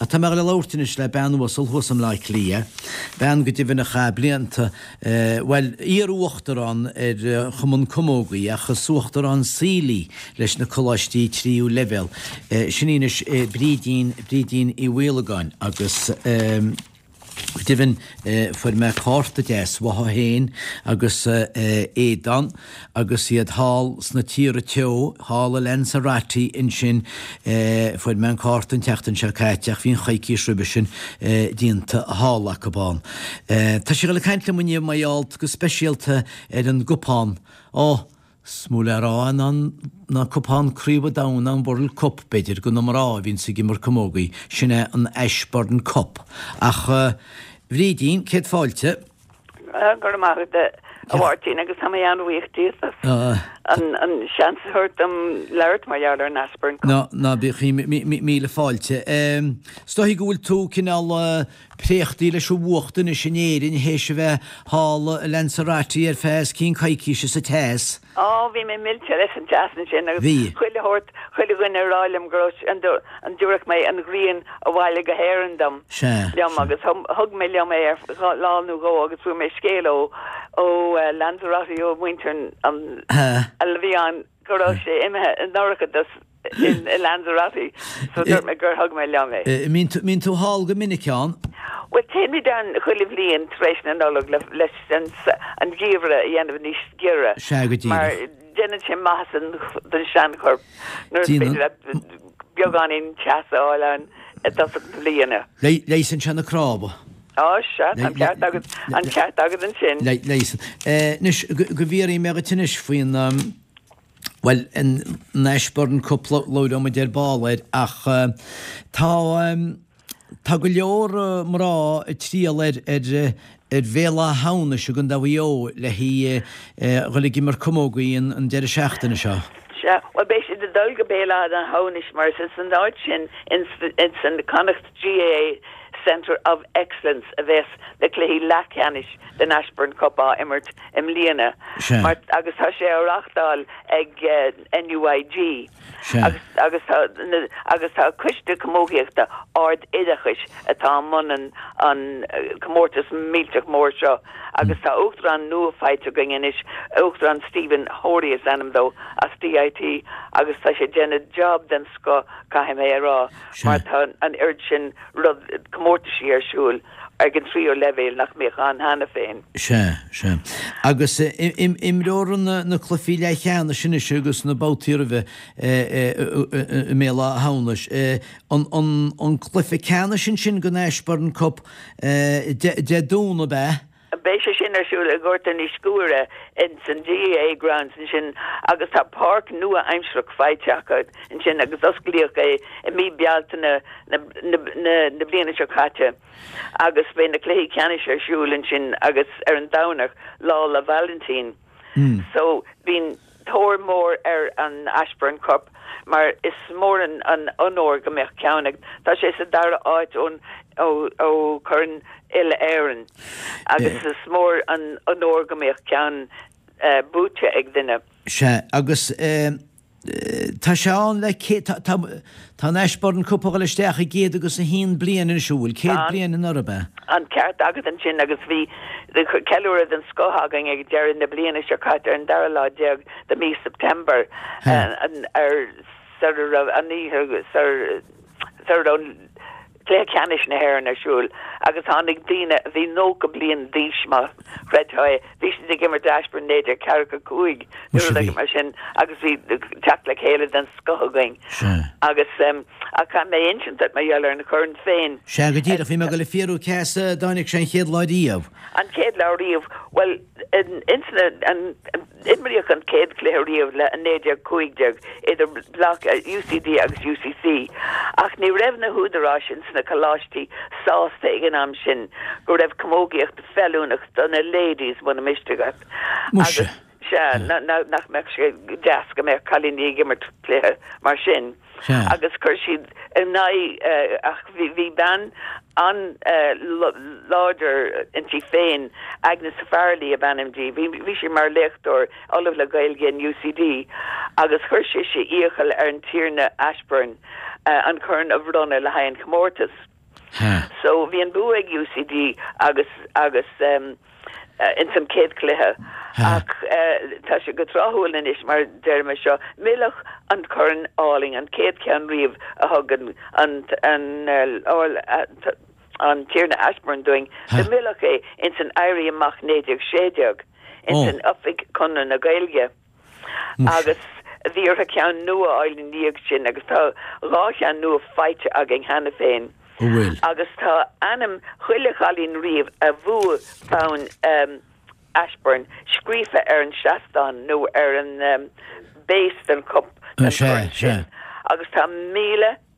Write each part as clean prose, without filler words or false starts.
Ach tá mé ag dul a labhairt anois le bean uasal thuas i mBleá Cliath, bean go deimhin a chaith blianta, bhuel, iar-uachtarán ar Chumann Camógaí ach is uachtarán saoil í leis na coláistí tríú leibhéal. Sin í anois Brídín, Brídín Uí Mhaolagáin agus. Go deimhin, fuair mé cárta deas uaithi féin agus Aodán agus iad thall sna tíortha teo, thall i Lanzarote ansin. Fuair mé an cárta an tseachtain seo caite ach bhí an choicís roimhe sin déanta thall acu ann. Tá sí ag dul ag caint liom inniu mar gheall go speisialta ar an gcupán. Ó! Is mó le rá ná ná cupán Craobh an Domhain ná an World Cup, b'fhéidir, do na mná a bhíonns ag imirt camógaí, sin é an Ashbourne Cup. Ach, a Bhrídín, céad fáilte. Go raibh maith agat, a Mháirtín, agus tá mé an-bhuíoch díot as an seans a thabhairt dom labhairt mar gheall ar an Ashbourne Cup. Ná, ná bíodh, míle fáilte. Is dóigh go bhfuil tú cineál préachtaí leis an bhfuacht anois in Éirinn théis a bheith thall i Lanzarote ar feadh os cionn coicíse sa teas. Á, bhí mé millte leis an teas ansin agus Bhí. chuile shórt, chuile dhuine ag rá liom go raibh, an dtabharfadh mé an ghrian abhaile go hÉirinn dom, Sea, liom sea. agus thug mé liom é ar feadh lá nó dhó agus fuair mé scéal ó, ó Lanzarote, ó mhuintir an, a bhí ann go raibh sé imithe i ndorchadas i Lanzarote so dúirt mé gur thug mé liom é. Mbíonn tú thall go minic ann? Bhuel téimid ann chuile bhliain tar éis na Nollag leis an gheimhreadh a dhéanamh níos giorra. Sea go díreach. Mar déanann sé maitheas don seanchorp nuair is féidir leat beagáinín teasa a fháil ann i dtosach na bliana. Leigheasann sé na cnámha. Á sea, tá an ceart agat, an ceart agat ansin. Leigheasann. Anois go bhfiafraí mé dhuit anois faoin Bhuel, an Ashbourne Cup labhróidh muid ar ball air ach tá tá go leor mná ag triall ar ar ar Bhéal Átha hAmhnais i gContae Mhaigh Eo le haghaidh dhul ag imirt camógaí an deireadh seachtaine seo. Sea, bhuel beidh siad ag dul go Béal Átha hAmhnais mar is san áit sin ins an Connacht GAA Centre of Excellence a bheas na cluichí leathcheannais den Ashbourne Cup á imirt i mbliana mar agus tá sé á reáchtáil ag NUIG agus agus tá agus tá Coiste Camógaíochta Ard-Oideachais atá i mbun an an comórtas millteach mór seo agus tá uachtarán nua faighte againn anois, Uachtarán Stephen Hory is ainm dó as DIT agus tá sé ag déanamh job den scoth caithfidh mé a rá mar tá an oiread sin rud comórtaisí ar siúl ag an tríú leibhéal nach mbíodh ann cheana féin. Sea, sea. Agus imreofar na cluichí leathcheannais anois agus na babhtaí roimhe i mBéal Átha hAmhnais. An cluiche ceannais ansin den Ashbourne Cup Dé Domhnaigh, ab ea? Beidh sé sin ar siúl i nGort an Iascaire ins an GAA grounds ansin agus tá páirc nua-aimsearach faighte acu ansin agus osclaíodh é i mí Bealtaine na na bliana seo caite agus beidh na cluichí ceannais ar siúl ansin agus ar an Domhnach, Lá 'le Vailintín. So bíonn tóir mór ar an Ashbourne Cup mar is mór an onóir go mbeadh ceann ag, tá sé sa dara áit ón ó ó Chorn Uile-Éireann agus is mór an onóir go mbeadh ceann buaite ag duine. Sea, agus tá sé ann le céad, tá, tá, tá an Ashbourne Cup a dhul isteach i gcéad agus a haon bliain anois, an bhfuil? Céad bliain anuraidh, ab ea? An ceart agat ansin agus bhí ceiliúradh den scoth againn ag deireadh na bliana seo caite ar an dara lá déag de mhí September ar sar a raibh an oíche sar sar a raibh Cluiche Ceannais na hÉireann ar siúl agus tháinig daoine a bhí 90 bliain d'aois, má chreidfeá é, bhí siad ag imirt Ashbourne 1945 nó rud éigin mar sin agus bhí teacht le chéile den scoth againn. Agus ach caithfidh mé insint duit mar gheall ar an chorn féin. Sea, go díreach, bhí mé ag dul a fiafraí cé as a dtáinig sé an chéad lá riamh. An chéad lá riamh, bhuel, ins na, an, Imríodh an chéad chluiche riamh le 1915 idir UCD agus UCC ach ní raibh na húdaráis ins na coláistí sásta ag an am sin go raibh camógaíocht feiliúnach do na ladies muna miste leat. Muise. Agus sea, nach mbeadh sé deas go mbeadh cailíní ag imirt cluiche mar sin. Sea. Agus chuir siad in aghaidh ach bhí bean an-láidir inti féin, Agnes Farrelly ab ainm di, bhí sí mar léachtóir, Ollamh le Gaeilge in UCD agus chuir sise iachall ar an Tiarna Ashbourne an corn a bhronnadh le haghaidh an chomórtais. So bhí an bua ag UCD agus agus ins an chéad chluiche ach tá sé go tráthúil anois mar deirim é seo, milleadh an corn álainn, an chéad cheann riamh a thug an an an an Tiarna Ashbourne dúinn, do milleadh é ins an Éirí Amach 1916 ins an oifig Conradh na Gaeilge. Agus bhí orthu ceann nua a fháil ina dhiaidh sin agus tá 2 cheann nua faighte againn cheana féin. An bhfuil? Agus tá ainm chuile chailín riamh a bhuaigh bonn Ashbourne scríofa ar an seastán nó ar an base den cup den chorn sin. Agus tá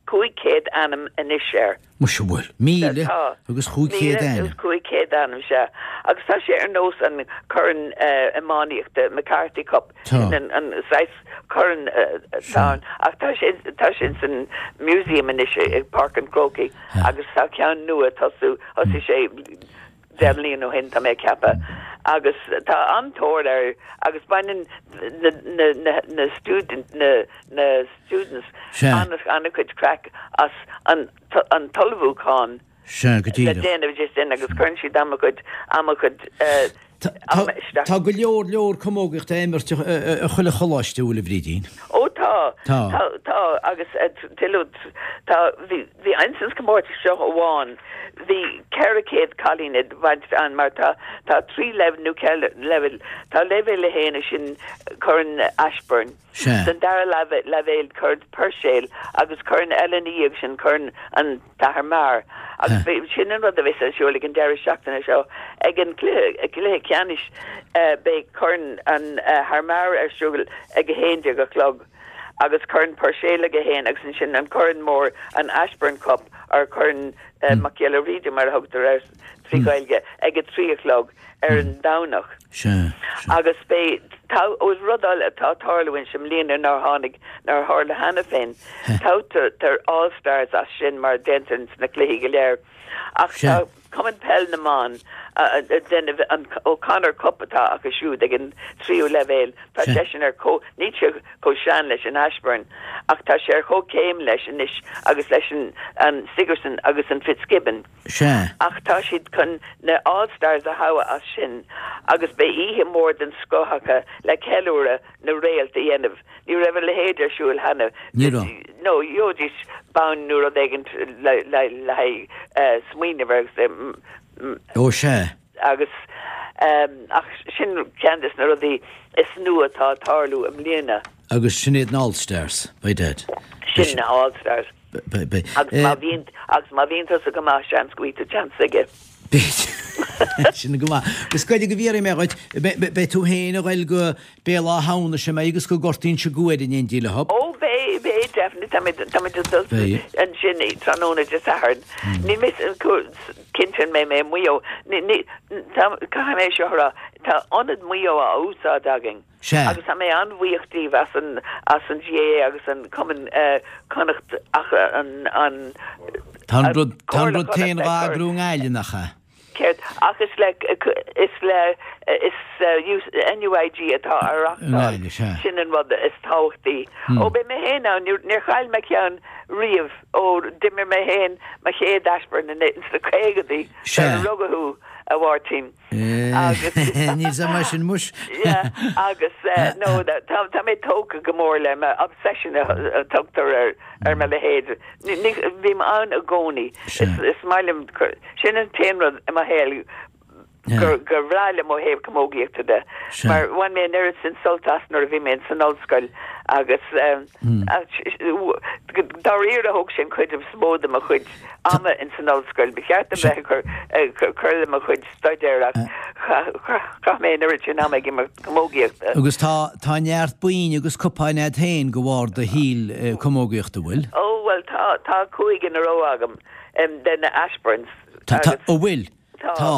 1,500 ainm anois air. Muise an bhfuil? 1,500 ainm. 1,500 ainm, sea. Agus tá sé ar nós an corn iománaíochta, McCarthy Cup, sin an saghas corn atá ann. Ach tá sé, tá sé ins an museum anois i bPáirc an Chrócaigh agus tá ceann nua ag tosú, thosaigh sé 10 mbliana ó shin, tá mé ag ceapadh. Agus tá an-tóir air agus baineann na, na, na, na student, na, na students an-chuid craic as an an t-ullmhúchán Sea, go le díreach. déanamh de sin agus cuireann siad an-chuid an-chuid ama isteach. Tá go leor leor camógaíochta á imirt i chuile choláiste, an bhfuil a Bhrídín? Ó tá, Tá. tá, tá agus tuilleadh tá, bhí, bhí ins an comórtas seo amháin bhí 400 cailín ag baint ann mar tá, tá 3 leibhéal nó 4 leibhéal, tá leibhéal 1 sin Corn Ashbourne. Sea. San dara leibhéal Corn Puirséil agus corn eile ina dhiaidh sin, Corn an tAthair Meagher. Agus sin an rud a bheas ar siúl ag an deireadh seachtaine seo. Ag an gcluiche ceannais beidh Corn an Athar Meagher ar siúl ag 11 a chlog agus Corn Puirséil ag 1 agus ansin an corn mór, an Ashbourne Cup or Corn Mac Giolla Bhríde mar a thugtar air trí Ghaeilge, ag 3 a chlog. ar an Domhnach. Sea, sea. Agus beidh, tá, ó is rud eile atá ag tarlú anois i mbliana nár tháinig, nár tharla cheana féin, toghtar All Stars as sin mar a déantar ins na cluichí go léir. Ach Sea. tá Cumann Peil na mBan ag déanamh an O'Connor Cup atá acu siúd ag an tríú leibhéal, tá Sea. seisean ar chomh, níl sé chomh sean leis an Ashbourne ach tá sé ar chomhchéim leis anois agus leis an, an Sigerson agus an Fitzgibbon. Sea. Ach tá siad chun na All Stars a thoghadh as sin agus beidh oíche mhór den scoth acu le ceiliúradh na réalt a dhéanamh. Ní raibh a leithéid ar siúl cheana. Ní raibh. No, gheobhaidís bonn nó rud éigin le haghaidh smaoineamh air agus. Ó sea. Agus ach sin ceann des na rudaí is nua atá ag tarlú i mbliana. Agus sin iad na All Stars, by dad. Sin na All Stars. Beidh. Agus má bhíonn, agus má bhíonn tusa go maith, seans go bhfaighidh tú seans aige. Beidh. Sin go maith. Agus goidé go bhfiafraí mé dhuit, beidh tú féin a ghoil go Béal Átha hAmhnais an mbeidh agus go Gort Inse Guaire in éindí leo? Ó beidh, beidh, definitely. Tá muid, tá muid ag dul ansin tráthnóna Dé Sathairn. Níl mé cinnte an mbeidh mé i Maigh Eo. Ní, ní, tá, caithfidh mé seo a rá, tá Ionad Mhaigh Eo á úsáid againn. Sea. Agus tá mé an-bhuíoch díobh as an, as an GAA agus an Cumann Connacht ach an, an, Tá an rud, tá an rud féin dhá eagrú i nGaillimh, nach ea? Céard? Ach is le, is le, is NUIG atá á reáchtáil. I nGaillimh, sea. Sin an rud is tábhachtaí. Ó, beidh mé féin ann, níor, níor chaill mé ceann riamh ó d'imir mé féin mo chéad Ashbourne sna caogadaí, Sea. sular rugadh thú, a Mháirtín. Agus. Níl sé mar sin muis. Yeah, agus no, tá, tá mé tógtha go mór le mo obsession a tugtar ar, ar mo leithéid. Ní, ní, bím ann i gcónaí. Sea. Is, is maith liom, sin an t-aon rud i mo shaol gur, gur bhreá liom ó thaobh camógaíochta de. Sea. Mar bhain mé an oiread sin sult as nuair a bhí mé san ollscoil agus dáiríre thóg sé an chuid is mó de mo chuid ama in san ollscoil. Ba cheart dom bheith ag cur le mo chuid staidéir ach chaith mé an oiread sin ama ag imirt camógaíochta. Agus tá tá neart boinn agus cupáin a'd féin de bharr do shaoil camógaíochta, bhfuil? Ó bhuel tá, tá 5 in a row agam de na Ashbournes. Tá, tá, an bhfuil? Tá. Tá.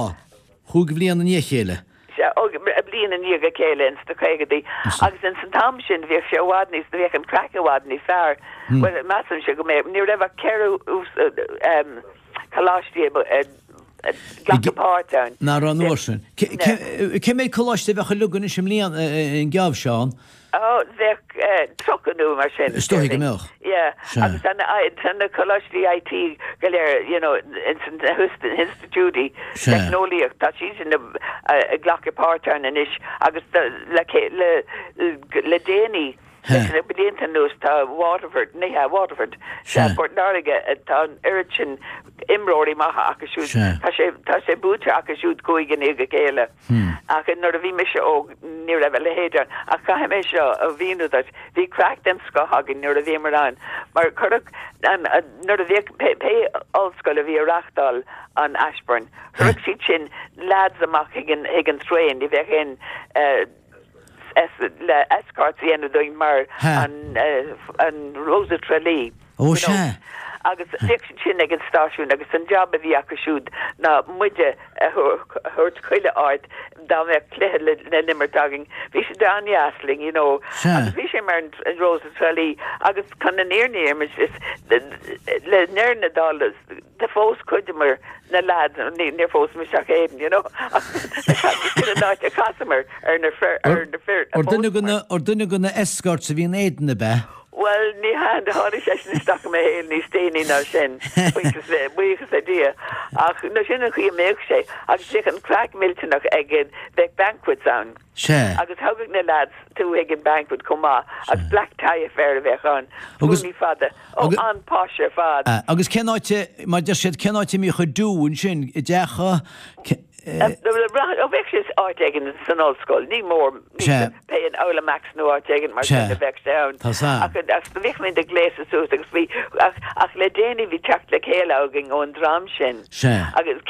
Chúig bhliain i ndiaidh a chéile. Sea, ó, bliain i ndiaidh a chéile ins na caogadaí. Agus ins an t-am sin bhíodh sé i bhfad níos, bhíodh an craic i bhfad níos fearr. Bhuel, measaimse go mbeadh, ní raibh ach ceithre coláistí ag glacadh páirt ann. Nach raibh an uair sin. Cé mhéad coláiste a bheadh uilig anois i mbliana, an geábh seo ann? Ó, bheadh 30 nó mar sin. Is dóigh go mbeadh. Yeah. Sea. Agus tá na, tá na coláistí IT go léir, you know, ins na hinstitiúidí Sea. teicneolaíocht, tá siad sin ag glacadh páirt ann anois agus le, le, le déanaí, leis na blianta anuas, tá Waterford, ní hea, Waterford, Sea. Port Láirge, tá an oiread sin imreoirí maithe acu siúd. Sea. Tá sé, tá sé buaite acu siúd cúig i ndiaidh a chéile. Ach nuair a bhí mise óg ní raibh a leithéid ann. Ach caithfidh mé seo a mhíniú duit, bhí craic den scoth againn nuair a bhíomar ann mar cuireadh an, nuair a bhíodh pé, pé ollscoil a bhí ag reáchtáil an Ashbourne, chuireadh siad sin lads amach chuig an, chuig an traein, ní bheadh aon eh, es, le escorts a dhéanamh dúinn mar an, eh, an Rose of Tralee. Ó sea. Agus bhíodh siad sin ag an stáisiún agus an jab a bhí acu siúd ná muide a thabhairt chuile áit dá mbeadh cluiche le n-imirt againn. Bhí siad an-deas linn, you know. Sea. Agus bhí sé mar an Rose of Tralee agus chun an fhírinne a insint is le ndeireadh na dála do phós cuid de na lads, níor phós mise ach Aidan, you know, sin an áit a chasamar ar na fir, ar na fir a Ar duine de phósamar. na, ar duine de na escorts a bhí in Aidan ab ea? Bhuel, ní hea, tháinig seisean isteach i mo shaol níos déanaí ná sin, buíochas le, buíochas le Dia. Ach nó sin an chaoi a mbeadh sé, agus bhíodh an craic millteanach ag, bheadh banquets ann. Sea. Agus thagadh na lads tú chuig an banquet chomh maith, agus black tie affair a bheadh ann, Agus, gúnaí fada, ó, agus, an-posh ar fad. agus cén áit a, mar deir siad, cén áit a mbíodh an do ansin, i dteach a, Ó bheadh sé áit éigin san ollscoil, ní mór, Sea. pé in Aula Maxima nó áit éigin mar sin Sea. a bheadh sé ann. Tá sa. Ach ach bhíodh muid ag gléasadh suas agus bhí, ach ach le déanaí bhí teacht le chéile againn ón dream sin. Sea. Agus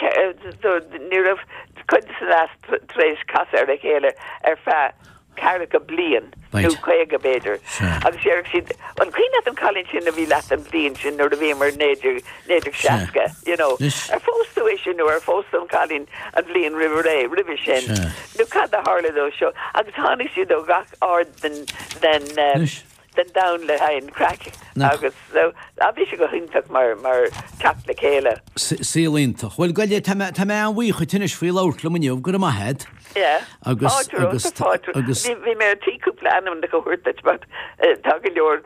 so ní raibh cuid de na lads tar éis casadh ar a chéile ar feadh ceathracha bliain nó Right. 50 b'fhéidir. Sea. Agus déarfadh siad, an cuimhin leat an cailín sin a bhí leat an bhliain sin nuair a bhíomar 19, 1960, you know. Anois. Ar phós tú ise nó ar phós tú an cailín an bhliain roimh ré, roimhe sin? Sea. Nó cad a tharla dó seo? Agus tháinig siad ó gach aird den, den, eh, Anois. den domhan le haghaidh an craic Nach. agus so, ah, bhí sé go hiontach mar, mar teacht le chéile. Saol iontach. Bhuel, gabh i leith, tá mé, tá mé an-bhuíoch dhuit anois faoi labhairt liom inniu, go raibh maith agat. Yeah. Agus, Fáilte romhat, agus, fáilte. agus. Bhí, bhí mé ar tí cúpla ainmneacha a thabhairt duit but eh, tá go leor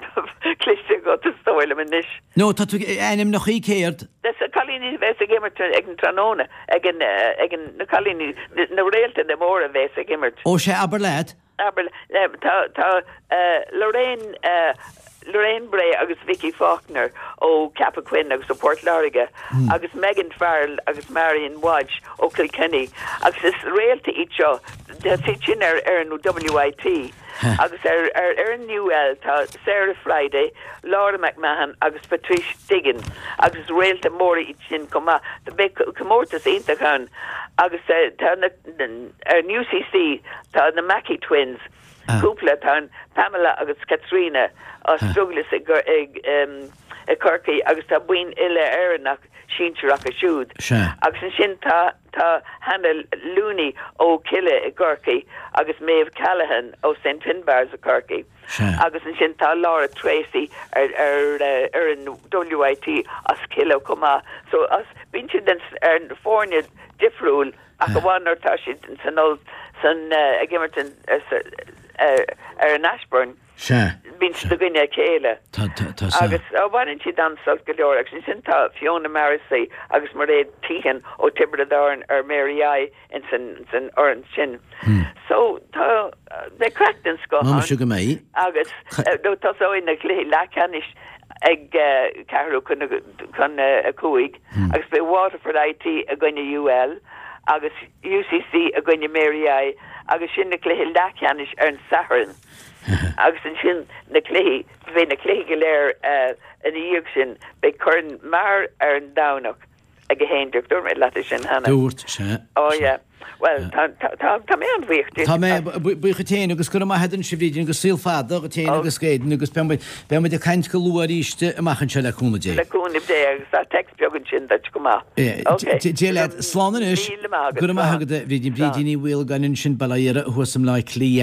cloiste agat is dóigh liom anois. No, tá tú, ainmneacha céard? Des na cailíní a bheas ag imirt ag an tráthnóna, ag an, eh, ag an, na cailíní, na, na réalta móra a bheas ag imirt. Ó, sea, abair leat. Abair, tá, tá Lorraine, Lorraine Bray agus Vicky Faulkner ó Ceapach Chuinn agus ó Port Láirge agus Megan Farrell agus Marion Walsh ó Kilkenny agus is réalta iad seo, tá siad sin ar fhoireann WIT agus ar ar fhoireann UL tá Sarah Fryday, Laura McMahon agus Patrice Diggin agus is réalta móra iad sin chomh maith. Beidh comórtas iontach ann agus tá na. Ar an UCC tá na Mackey Twins, cúpla, tá an Pamela agus Caitríona as Douglas i gCorcaigh agus tá boinn uile-Éireannach sinsir acu siúd. Agus ansin tá tá Hannah Looney ó Killeagh i gCorcaigh agus Maeve Callaghan ó St Finbarr's i Corcaigh. Agus ansin tá Laura Treacy ar ar fhoireann WIT as Killeagh chomh maith. So as bíonn siad ar foirne difriúil Ach amháin nuair atá siad san oll san ag imirt ar an Ashbourne. Sea. Bíonn siad i gcoinne a chéile. Tá, tá, tá, sea. Agus baineann siad an-sult go leor agus ansin tá Fiona Morrissey agus Mairéad Teehan ó Tiobraid Árann ar Mary I in san san fhoireann sin. So tá beidh craic den scoth Má ann. mise go mbeidh. Agus tosóidh na cluichí leathcheannais ag ceathrú chun a 5 agus beidh Waterford IT i gcoinne UL agus UCC i gcoinne Mary I agus sin na cluichí leathcheannais ar an Satharn agus ansin na cluichí, beidh na cluichí go léir ina dhiaidh sin, beidh Corn Maher ar an Domhnach. ag 11. Dúirt mé leat é sin cheana. Dúirt, sea. Ó yeah. Bhuel, tá, tá, tá, tá mé an-bhuíoch díot. Tá mé buíoch duit féin agus go raibh maith agat anois a Bhrídín agus saol fada dhuit féin agus d'Aidan agus beidh muid, beidh muid ag caint go luath arís amach anseo le cúnamh Dé. Le cúnamh Dé agus tá text beag ansin duit go maith. Ok. Dia leat. Slán anois. Míle maith agat. Go raibh maith agat a Bhrídín. Brídín Ní Mhaolagáin ansin, Baile Átha Thuas i mBleá Cliath.